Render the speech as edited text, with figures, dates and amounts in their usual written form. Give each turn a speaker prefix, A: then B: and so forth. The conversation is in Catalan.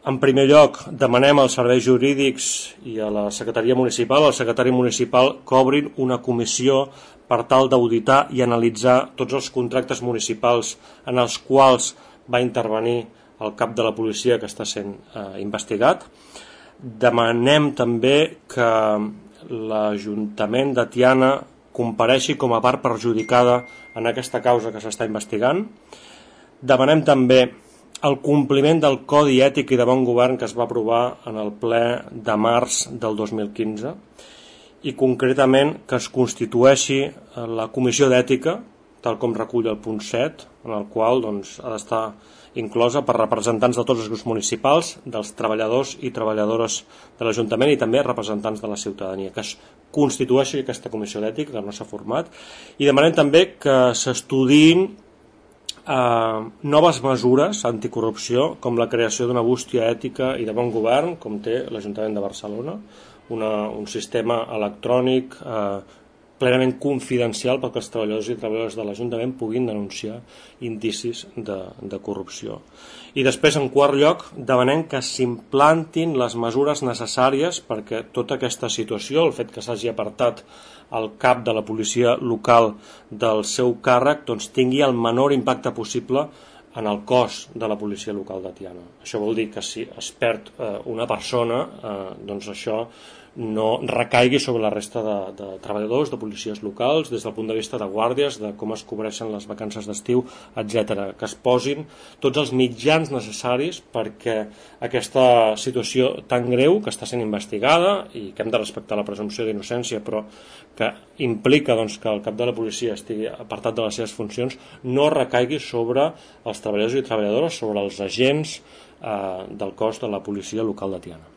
A: En primer lloc, demanem als serveis jurídics i a la secretaria municipal, al secretari municipal, que obrin una comissió per tal d'auditar i analitzar tots els contractes municipals en els quals va intervenir el cap de la policia que està sent investigat. Demanem també que l'Ajuntament de Tiana compareixi com a part perjudicada en aquesta causa que s'està investigant. Demanem també el compliment del Codi Ètic i de Bon Govern que es va aprovar en el ple de març del 2015 i concretament que es constitueixi la Comissió d'Ètica, tal com recull el punt 7, en el qual ha d'estar inclosa per representants de tots els grups municipals, dels treballadors i treballadores de l'Ajuntament i també representants de la ciutadania, que es constitueixi aquesta Comissió d'Ètica, que no s'ha format, i demanem també que s'estudiïn noves mesures anticorrupció, com la creació d'una bústia ètica i de bon govern, com té l'Ajuntament de Barcelona, un sistema electrònic plenament confidencial perquè els treballadors i treballadores de l'Ajuntament puguin denunciar indicis de corrupció. I després, en quart lloc, demanem que s'implantin les mesures necessàries perquè tota aquesta situació, el fet que s'hagi apartat el cap de la policia local del seu càrrec, tingui el menor impacte possible en el cos de la policia local de Tiana. Això vol dir que si es perd una persona, doncs això no recaigui sobre la resta de treballadors, de policies locals, des del punt de vista de guàrdies, de com es cobreixen les vacances d'estiu, etc. Que es posin tots els mitjans necessaris perquè aquesta situació tan greu, que està sent investigada i que hem de respectar la presumpció d'innocència, però que implica que el cap de la policia estigui apartat de les seves funcions, no recaigui sobre els treballadors i treballadores, sobre els agents del cos de la policia local de Tiana.